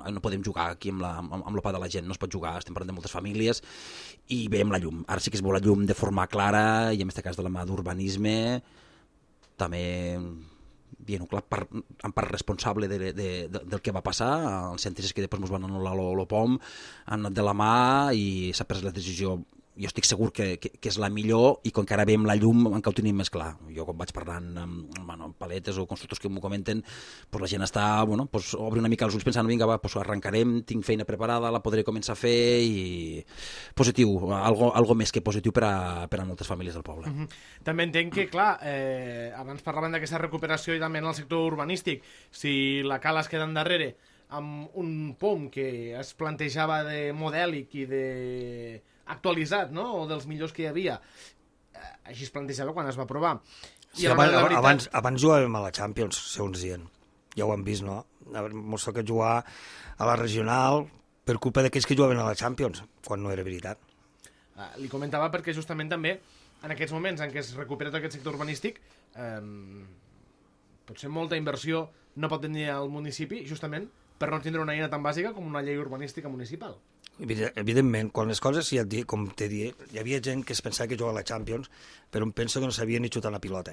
no podem jugar aquí amb, la, amb, amb la pa de la gent, no es pot jugar, estem parlant de moltes famílies, i veiem la llum. Ara sí que es veu la llum de forma clara, i en aquest cas de la mà d'urbanisme, també bien, clar, per, en part responsable de, de, de, del que va passar, els científics que després ens van anul·lar el P O M han anat de la mà i s'ha pres la decisió, jo estic segur que, que, que és la millor, i com que ara veiem la llum encara ho tenim més clar. Jo quan vaig parlant amb, bueno, amb paletes o constructors que m'ho comenten, pues la gent està, bueno, pues obre una mica els ulls pensant, vinga, va, pues arrencarem, tinc feina preparada, la podré començar a fer, i positiu, algo, algo més que positiu per a, per a moltes famílies del poble. Mm-hmm. També entenc que, clar, eh, abans parlaven d'aquesta recuperació i també en el sector urbanístic, si la Cala es queda endarrere amb un P O M que es plantejava de modèlic i de actualitzat, no?, o dels millors que hi havia, així es plantejava quan es va aprovar. I sí, abans, veritat... abans, abans jugàvem a la Champions, segons dient, ja ho hem vist, no? Ens toca jugar a la regional per culpa d'aquells que jugaven a la Champions, quan no era veritat. Ah, li comentava perquè justament també en aquests moments en què es recupera tot aquest sector urbanístic, eh, potser molta inversió no pot tenir el municipi justament per no tindre una eina tan bàsica com una llei urbanística municipal. Evidentment, quan les coses, ja, com t'he dit, hi havia gent que es pensava que jugava a la Champions, però em penso que no sabia ni xutar una pilota.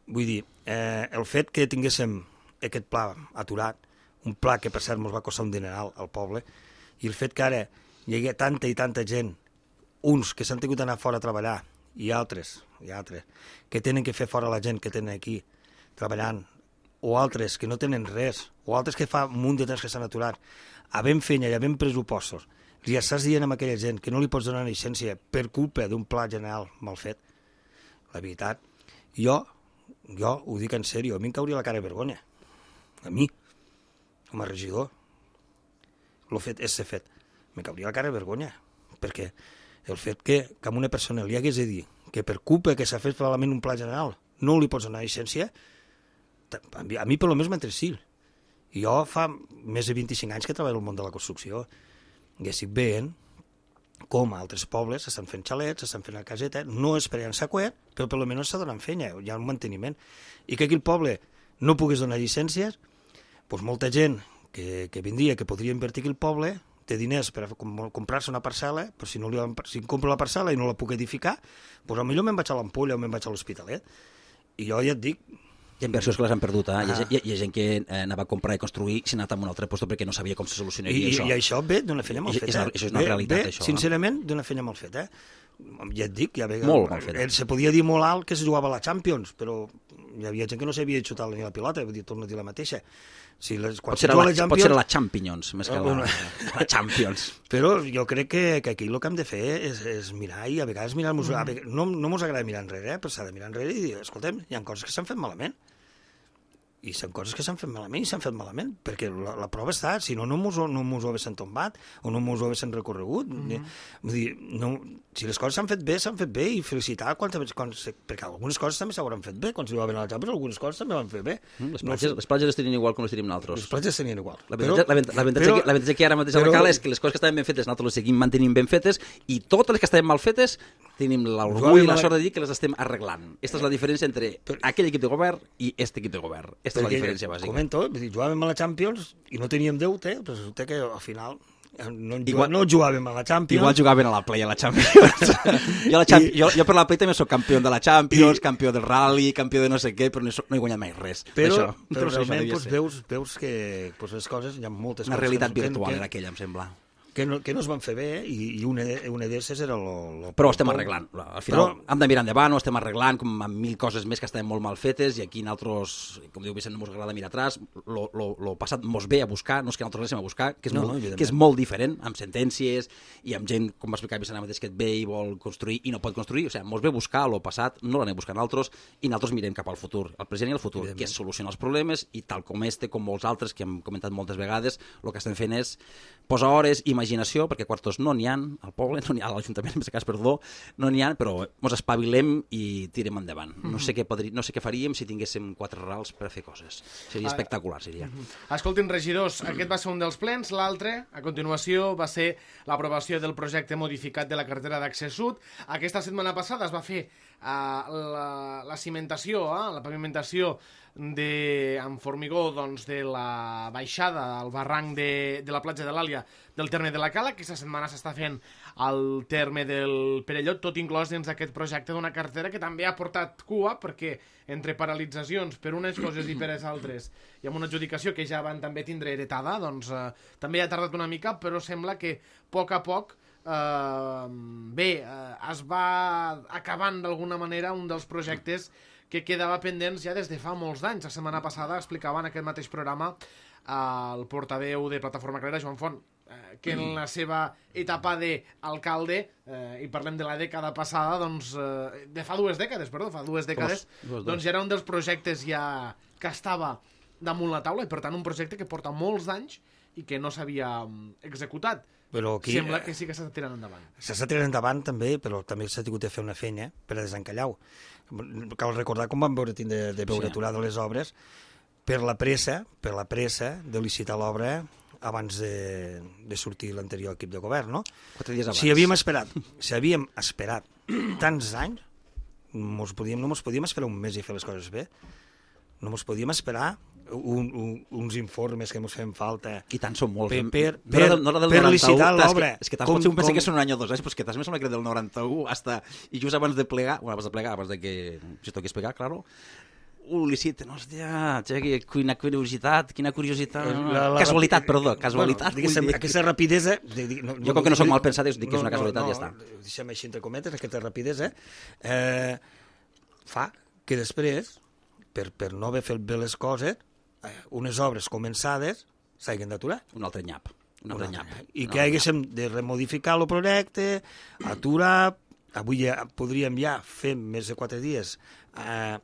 Vull dir, eh, el fet que tinguéssim aquest pla aturat, un pla que per cert ens va costar un dineral al poble, i el fet que ara hi hagi tanta i tanta gent, uns que s'han tingut d'anar fora a treballar hi ha altres, hi ha altres, que tenen que fer fora la gent que tenen aquí treballant, o altres que no tenen res, o altres que fa un munt de temps que s'han aturat, havent feina i havent pressupostos, li estàs dient a aquella gent que no li pots donar una llicència per culpa d'un pla general mal fet. La veritat, jo, jo ho dic en sèrio, a mi em cauria la cara de vergonya. A mi, com a regidor, el fet és ser fet. Me cauria la cara de vergonya, perquè el fet que, que a una persona li hagués de dir que per culpa que s'ha fet malament un pla general no li pots donar llicència, a mi, a mi per almenys m'entresil. I jo fa més de vint-i-cinc anys que treballo al món de la construcció i estic veient com a altres pobles s'estan fent xalets, s'estan fent la caseta, no és per llançar coet, però per almenys s'està donant feina, hi ha un manteniment. I que aquí el poble no pogués donar llicències, doncs molta gent que, que vindria, que podria invertir aquí el poble, té diners per comprar-se una parcel·la, però si, no li, si compro la parcel·la i no la puc edificar, doncs potser me'n vaig a l'Ampolla o me'n vaig a l'Hospitalet. I jo ja et dic... Hi ha inversions que les han perdut, eh? Ah. Hi, ha, hi, ha, hi ha gent que eh, anava a comprar i construir i s'ha anat a un altre lloc perquè no sabia com se solucionaria I, això. I això ve d'una feina mal feta. I, això és una ve, realitat, ve, això. Sincerament, d'una feina mal feta. Ja et dic, ja ve, molt mal feta. Se podia dir molt alt que es jugava a la Champions, però hi havia gent que no sabia xutar ni la pilota, vull dir, torno a dir la mateixa. Si les, quan pot, ser la, la, Champions, pot ser la Champions, més que la, bueno, la Champions. Però jo crec que, que aquí el que hem de fer és, és mirar, i a vegades mirar, mm. a vegades, no, no mos agrada mirar enrere, eh, però s'ha de mirar enrere i dir, escoltem, hi ha coses que s'han fet malament. I són coses que s'han fet malament i s'han fet malament, perquè la, la prova està, si no, no mos, no mos ho haguessin tombat o no mos ho haguessin recorregut. Mm-hmm. Vull dir, no, si les coses s'han fet bé, s'han fet bé, i felicitar quan, quan, perquè algunes coses també s'hauran fet bé, quan s'hi va venir a la Champions, algunes coses també van fer bé. Mm, les, platges, no, les platges les tenien igual com les tenim nosaltres. Les platges tenien igual. L'avantatge que, que ara mateix però, a la cala és que les coses que estaven ben fetes nosaltres les seguim mantenint ben fetes i totes les que estaven mal fetes tenim l'orgull i la sort de dir que les estem arreglant. Aquesta és la diferència entre però, aquell equip de govern i aquest equip de govern. Aquesta és la diferència bàsica. Comento, jugàvem a la Champions i no teníem deute, però resulta que al final no, igual, no jugàvem a la Champions. Igual jugaven a la Play a la Champions. jo, la Champions I... jo, jo per la Play també soc campió de la Champions, I... campió del Rally, campió de no sé què, però no he, no he guanyat mai res. Però, però realment doncs, veus, veus que doncs, les coses, hi ha moltes Una coses... Una realitat que, virtual que, era aquella, em sembla. Que no, que no es van fer bé i, i una, una d'esses era lo, lo... Però ho estem arreglant. Al final però... hem de mirar endavant, ho estem arreglant com amb mil coses més que estaven molt mal fetes i aquí nosaltres, com diu Vicent, no ens agrada mirar atrás, lo, lo, lo passat mos ve a buscar, no és que nosaltres l'anem a buscar, que és, no, molt, que és molt diferent, amb sentències i amb gent, com va explicar Vicent mateix, que et ve i vol construir i no pot construir, o sigui, mos ve a buscar lo passat, no l'anem a buscar nosaltres i nosaltres mirem cap al futur, al present i al futur, que és solucionar els problemes i tal com este, com molts altres que hem comentat moltes vegades, el que estem fent és posar hores, imaginació, perquè quartos no n'hi ha al poble, no n'hi ha a l'Ajuntament, en aquest cas, perdó, no n'hi ha, però ens espavilem i tirem endavant. Mm-hmm. No sé què podri... no sé què faríem si tinguéssim quatre rals per a fer coses. Seria espectacular, seria. Mm-hmm. Escoltin, regidors, aquest va ser un dels plens, l'altre, a continuació, va ser l'aprovació del projecte modificat de la carretera d'accés sud. Aquesta setmana passada es va fer uh, la, la cimentació, uh, la pavimentació de, amb formigó doncs, de la baixada al barranc de, de la platja de l'Àlia del terme de la Cala, que aquesta setmana s'està fent al terme del Perellot, tot inclòs dins d'aquest projecte d'una carretera que també ha portat cua, perquè entre paralitzacions per unes coses i per les altres, i amb una adjudicació que ja van també tindre heretada, doncs eh, també ha tardat una mica, però sembla que a poc a poc eh, bé, eh, es va acabant d'alguna manera un dels projectes que quedava pendents ja des de fa molts d'anys. La setmana passada explicava en aquest mateix programa eh, el portaveu de Plataforma Carrera, Joan Font, eh, que en la seva etapa d'alcalde, eh, i parlem de la dècada passada, doncs, eh, de fa dues dècades, perdó, fa dues dècades, dos, dos, dos. doncs ja era un dels projectes ja que estava damunt la taula, i per tant un projecte que porta molts d'anys i que no s'havia executat. Però aquí, sembla que sí que s'està tirant endavant. S'està tirant endavant també, però també s'ha tingut de fer una feina per a desencallar-ho. Cal recordar com vam veure de, de veure sí. aturades les obres per la pressa, per la pressa de licitar l'obra abans de, de sortir l'anterior equip de govern, no? Quatre dies abans. Si havíem esperat, si havíem esperat tants anys, mos podíem, no ens podíem esperar un mes i fer les coses bé. No ens podíem esperar un, un, uns informes que ens feien falta. I tant són molts. Per, per, per, no la del, no la del per licitar l'obra. És que, que tant pot ser un pensa que són un any o dos anys, però és que tant me sembla que del noranta-u hasta, i just abans de plegar, bueno, abans de plegar, abans de que se toqués pegar, claro, ho liciten, hòstia, quina curiositat, quina curiositat, La, la, casualitat, la, perdó, casualitat. Bueno, diguéssim, aquesta rapidesa... No, jo com que no soc mal pensat, dic que és una casualitat no, i ja està. Deixem així entre cometes, aquesta rapidesa eh, fa que després, per, per no haver fet bé les coses, eh, unes obres començades s'hagin d'aturar. Un altre nyap. Un altre nyap. I que haguéssim de remodificar el projecte, aturar... Avui ja podríem ja fer més de quatre dies eh,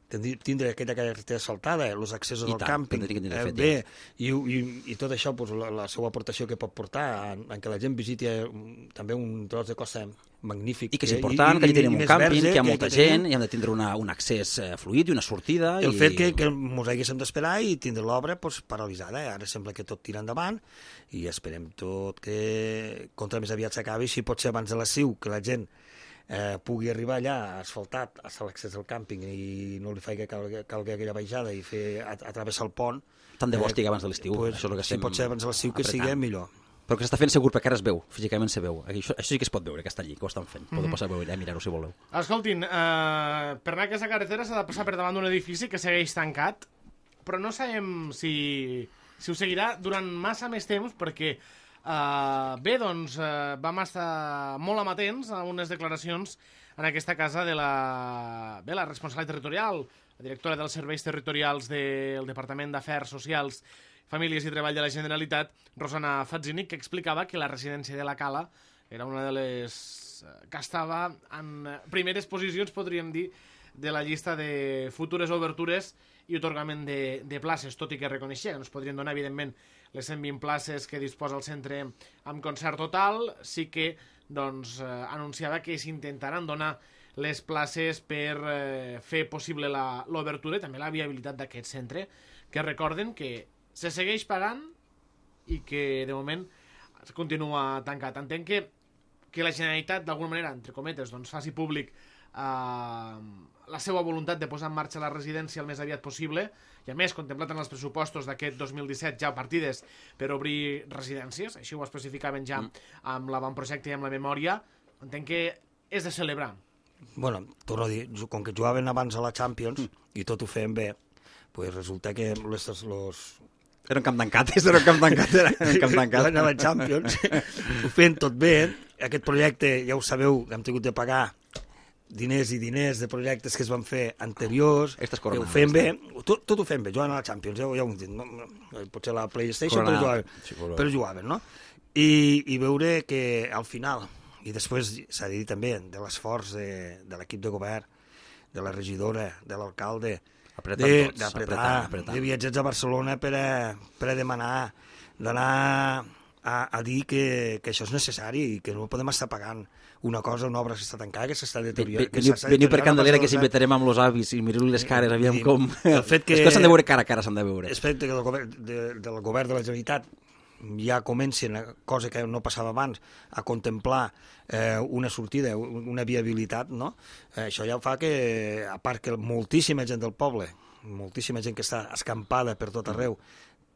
tindre aquella carretera asfaltada, els accessos I al tant, càmping, eh, fet, bé, i, i, i tot això, pues, la, la seva aportació que pot portar en, en que la gent visiti um, també un tros de costa magnífic. I que és important, i, que allà tenim un càmping, verge, que hi ha molta que gent, i hem de tindre una, un accés eh, fluid i una sortida. El i... fet que, que ens haguéssim d'esperar i tindre l'obra pues, paralitzada. Ara sembla que tot tira endavant i esperem tot que contra més aviat s'acabi, si pot ser abans de l'estiu, que la gent Eh, pugui arribar allà asfaltat a l'accés al càmping i no li faci que calgui, calgui aquella baixada i fer a, a travessar el pont. Tant de bo estigui abans de l'estiu. Pues, això és el que si estem pot ser abans de l'estiu que sigui millor. Però que s'està fent segur perquè ara es veu, físicament se veu. Això, això sí que es pot veure, que està allí, que ho estan fent. Podeu passar a veure allà, mirar-ho si voleu. Escoltin, eh, per anar a aquesta carretera s'ha de passar per davant d'un edifici que segueix tancat, però no sabem si, si ho seguirà durant massa més temps perquè Uh, bé, doncs uh, vam estar molt amatents a unes declaracions en aquesta casa de la, bé, la responsable territorial, la directora dels serveis territorials del Departament d'Afers Socials, Famílies i Treball de la Generalitat, Rosana Fatzinic, que explicava que la residència de la Cala era una de les que estava en primeres posicions, podríem dir, de la llista de futures obertures i otorgament de, de places, tot i que reconeixia que no es podrien donar, evidentment, les cent vint places que disposa el centre amb concert total, sí que doncs, eh, anunciava que s'intentaran donar les places per eh, fer possible l'obertura i també la viabilitat d'aquest centre, que recorden que se segueix pagant i que de moment es continua tancat. Entenc que, que la Generalitat, d'alguna manera, entre cometes, doncs, faci públic eh, la seva voluntat de posar en marxa la residència el més aviat possible, i a més, contemplat en els pressupostos d'aquest dos mil disset ja partides per obrir residències, així ho especificaven ja mm. amb l'avantprojecte i amb la memòria, entenc que és de celebrar. Bueno, torno a dir, com que jugaven abans a la Champions mm. i tot ho feien bé, pues resulta que los, los... Era un camp tancat, era un camp tancat, era un camp tancat. a la Champions, ho feien tot bé, aquest projecte, ja ho sabeu, hem tingut de pagar diners i diners de projectes que es van fer anteriors, ho fem bé, tot, tot ho fem bé, jugant a la Champions, ja, ja ho hem dit, no? Potser la PlayStation, però jugaven, sí, però jugaven, no? I, I veure que al final, i després s'ha de dir també de l'esforç de, de l'equip de govern, de la regidora, de l'alcalde, d'apretar, de viatjats a Barcelona per a, per a demanar, d'anar a, a dir que, que això és necessari i que no podem estar pagant una cosa, una obra que està tancada, que s'està deteriorant. Veniu per Candelera, que s'inventarem amb els avis i mireu-li les cares, aviam com... El fet que... És que s'han de veure cara a cara, s'han de veure. El fet que el govern de, del govern de la Generalitat ja comencin, cosa que no passava abans, a contemplar eh, una sortida, una viabilitat, no? Eh, això ja fa que, a part que moltíssima gent del poble, moltíssima gent que està escampada per tot arreu,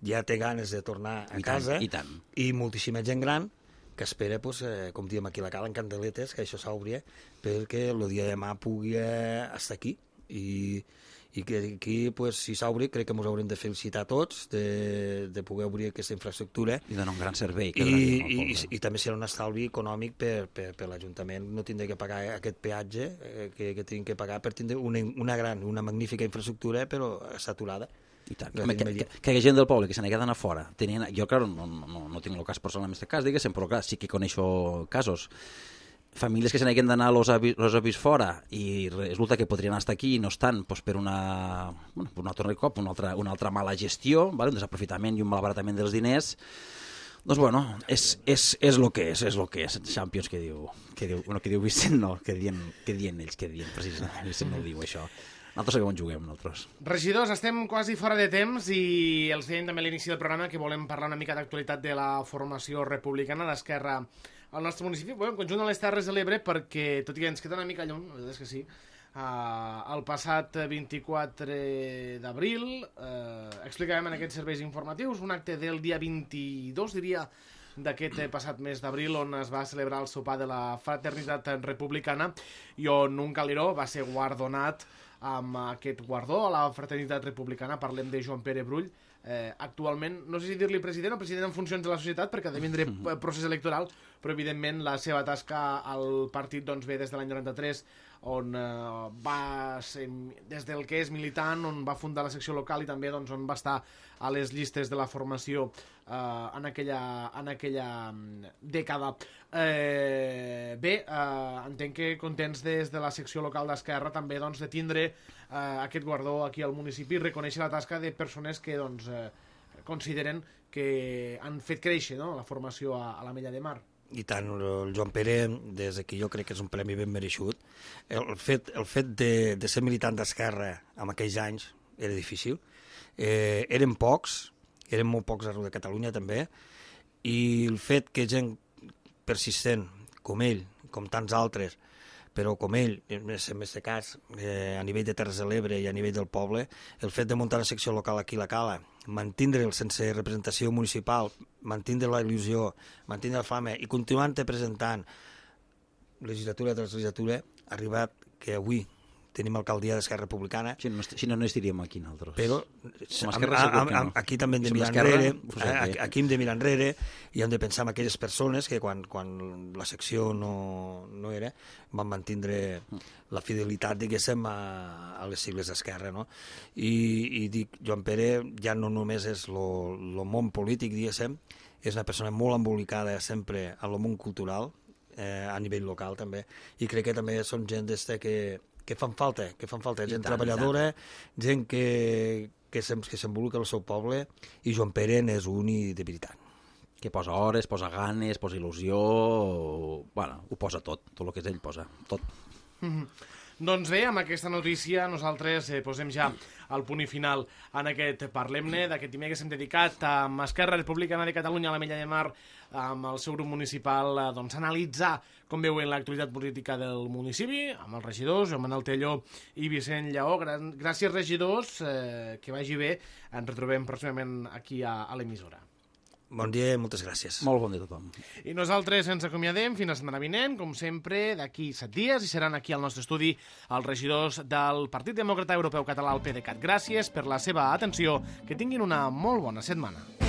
ja té ganes de tornar a I casa, tant, i, tant. i moltíssima gent gran que espera, pues, eh, com diem aquí a la Cala, en candeletes, que això s'obri, perquè el dia de demà pugui eh, estar aquí. I, i que aquí, pues, si s'obri, crec que ens haurem de felicitar tots de, de poder obrir aquesta infraestructura. I donar un gran servei. Que I, i, i, I també serà un estalvi econòmic per, per, per l'Ajuntament. No tindrà que pagar aquest peatge eh, que, que tinc que pagar per tindre una, una gran, una magnífica infraestructura, però saturada. I tant. Home, que, que, que hi ha gent del poble que se n'ha quedat a fora. Tenien, jo, clar, no, no, no tinc el cas personal en aquest cas, diguéssim, però clar, sí que coneixo casos. Famílies que se n'haguen d'anar los avis, los avis fora i resulta que podrien estar aquí i no estan pues, per una, bueno, per un altre cop, una altra, una altra mala gestió, vale? Un desaprofitament i un malbaratament dels diners. Doncs bueno, és, és, és el que és, és el que és. Champions que diu, que diu, bueno, que diu Vicent, no, que dient, que dient ells, que dient, precisament, Vicent no ho diu això. Nosaltres sabem on juguem, nosaltres. Regidors, estem quasi fora de temps i els dèiem també a l'inici del programa que volem parlar una mica d'actualitat de la formació republicana d'Esquerra al nostre municipi, bueno, en conjunt de les Terres de l'Ebre, perquè, tot i que ens queda una mica lluny, la veritat és que sí, uh, el passat vint-i-quatre d'abril uh, explicàvem en aquests serveis informatius un acte del dia vint-i-dos, diria, d'aquest passat mes d'abril, on es va celebrar el sopar de la fraternitat republicana i on un caliró va ser guardonat amb aquest guardó a la fraternitat republicana. Parlem de Joan Pere Brull, eh, actualment, no sé si dir-li president o president en funcions de la societat, perquè ha de vindre procés electoral, però evidentment la seva tasca al partit doncs, ve des de l'any noranta-tres, on eh, va ser, des del que és militant, on va fundar la secció local i també doncs, on va estar a les llistes de la formació eh, en, aquella, en aquella dècada. Eh, bé, eh, entenc que contents des de la secció local d'Esquerra també doncs, de tindre eh, aquest guardó aquí al municipi i reconèixer la tasca de persones que doncs, eh, consideren que han fet créixer, no?, la formació a, a l'Ametlla de Mar. I tant, el Joan Pere, des d'aquí jo crec que és un premi ben mereixut. El fet, el fet de, de ser militant d'Esquerra en aquells anys era difícil. Eh, eren pocs, eren molt pocs arreu de Catalunya també, i el fet que gent persistent com ell, com tants altres, però com ell, en aquest cas, eh, a nivell de Terres de l'Ebre i a nivell del poble, el fet de muntar una secció local aquí a la Cala, mantindre'l sense representació municipal, mantindre la il·lusió, mantindre la flama i continuant presentant legislatura tras legislatura, ha arribat que avui tenim alcaldia d'Esquerra Republicana. Si no, si no, no estaríem aquí nosaltres. Però Som Esquerra segur que no. Aquí també hem de Som mirar Esquerra, enrere, pues aquí. aquí hem de mirar enrere i hem de pensar en aquelles persones que quan, quan la secció no, no era van mantindre la fidelitat, diguéssim, a, a les sigles d'Esquerra, no? I, i dic, Joan Pere ja no només és el món polític, diguéssim, és una persona molt embolicada sempre en el món cultural, eh, a nivell local també, i crec que també són gent d'este que que fan falta, que fan falta, gent tant, treballadora, gent que, que s'embolica al seu poble, i Joan Pere n'és un i de veritat. Que posa hores, posa ganes, posa il·lusió, bueno, ho posa tot, tot el que és ell posa, tot. Mm-hmm. Doncs bé, amb aquesta notícia nosaltres eh, posem ja el punt i final en aquest Parlem-ne, d'aquest dimecres hem dedicat a Esquerra Republicana de Catalunya a l'Ametlla de Mar, amb el seu grup municipal, eh, doncs, analitzar com veuen l'actualitat política del municipi, amb els regidors, Joan Manuel Telló i Vicent Lleó. Gràcies, regidors, eh, que vagi bé. Ens retrobem pròximament aquí a, a l'emissora. Bon dia i moltes gràcies. Molt bon dia a tothom. I nosaltres ens acomiadem fins la setmana vinent, com sempre, d'aquí set dies, i seran aquí al nostre estudi els regidors del Partit Demòcrata Europeu Català, el PDeCAT. Gràcies per la seva atenció, que tinguin una molt bona setmana.